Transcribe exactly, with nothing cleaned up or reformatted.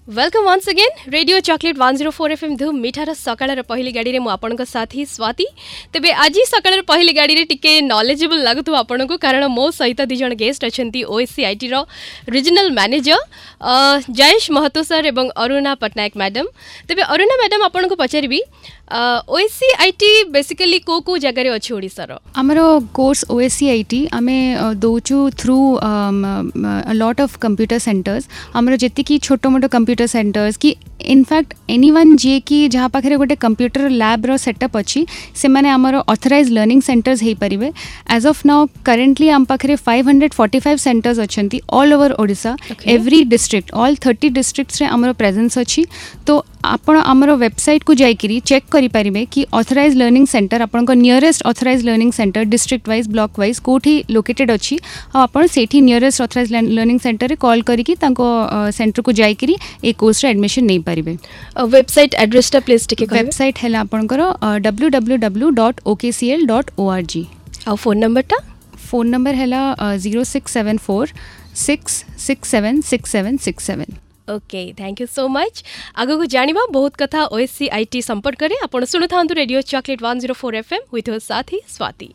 Welcome once again Radio Choklate one zero four FM ଧୁମ୍ ମିଠାର ସକାଳର ପହିଲି ଗାଡ଼ିରେ ମୁଁ ଆପଣଙ୍କ ସାଥୀ ସ୍ୱାତି ତେବେ ଆଜି ସକାଳର ପହିଲି ଗାଡ଼ିରେ ଟିକେ ନଲେଜେବଲ୍ ଲାଗୁଥିବ ଆପଣଙ୍କୁ କାରଣ ମୋ ସହିତ ଦୁଇ ଜଣ ଗେଷ୍ଟ ଅଛନ୍ତି ଓଏସ୍ସିଆଇଟିର ରିଜନାଲ ମ୍ୟାନେଜର ଜયેଶ ମହତୋ ସାର୍ ଏବଂ ଅରୁଣା ପଟ୍ଟନାୟକ ମ୍ୟାଡାମ୍ ତେବେ ଅରୁଣା ମ୍ୟାଡାମ୍ ଆପଣଙ୍କୁ ପଚାରିବି ଓଏସ୍ସିଆଇଟି ବେସିକାଲି କେଉଁ କେଉଁ ଜାଗାରେ ଅଛି ଓଡ଼ିଶାର ଆମର course O S C I T ଆମେ ଦେଉଛୁ through lot of computer centers ଆମର ଯେତିକି ଛୋଟ ମୋଟ କମ୍ପ୍ୟୁଟର ସେଣ୍ଟର୍ସ କି ଇନଫ୍ୟାକ୍ଟ ଏନିୱାନ୍ ଯିଏକି ଯାହା ପାଖରେ ଗୋଟେ କମ୍ପ୍ୟୁଟର ଲ୍ୟାବ୍ର ସେଟଅପ୍ ଅଛି ସେମାନେ ଆମର ଅଥରାଇଜ୍ ଲର୍ଣ୍ଣିଂ ସେଣ୍ଟର୍ସ ହେଇପାରିବେ ଆଜ୍ ଅଫ୍ now currently ଆମ ପାଖରେ five hundred forty five centers ଅଛନ୍ତି all over Odisha Okay. Every district all thirty ଡିଷ୍ଟ୍ରିକ୍ଟସରେ ଆମର ପ୍ରେଜେନ୍ସ ଅଛି ତ ଆପଣ ଆମର ୱେବସାଇଟ୍କୁ ଯାଇକିରି ଚେକ୍ କରିପାରିବେ କି ଅଥରାଇଜ୍ ଲର୍ଣ୍ଣିଂ ସେଣ୍ଟର ଆପଣଙ୍କ nearest authorized learning center district wise block wise କେଉଁଠି ଲୋକେଟେଡ୍ ଅଛି ଆଉ ଆପଣ ସେଇଠି ନିୟରେଷ୍ଟ ଅଥରାଇଜ୍ ଲର୍ଣ୍ଣିଂ ସେଣ୍ଟରରେ କଲ୍ କରିକି ତାଙ୍କ ସେଣ୍ଟରକୁ ଯାଇକିରି ଏଇ କୋର୍ସରେ ଆଡ଼ମିସନ୍ ନେଇପାରିବେ ୱେବସାଇଟ୍ ଆଡ୍ରେସଟା ପ୍ଲିଜ୍ ଟିକେ କହିବେ ୱେବସାଇଟ୍ ହେଲା ଆପଣଙ୍କର W W W dot O K C L dot O R G ଆଉ ଫୋନ୍ ନମ୍ବରଟା ଫୋନ୍ ନମ୍ବର ହେଲା zero six seven four six six seven six seven six seven Okay thank you so much ଆଗକୁ ଜାଣିବା ବହୁତ କଥା ଓଏସ୍ସିଆଇଟି ସମ୍ପର୍କରେ ଆପଣ ଶୁଣୁଥାନ୍ତୁ Radio Choklate one zero four FM with ସାଥୀ ସ୍ୱାତି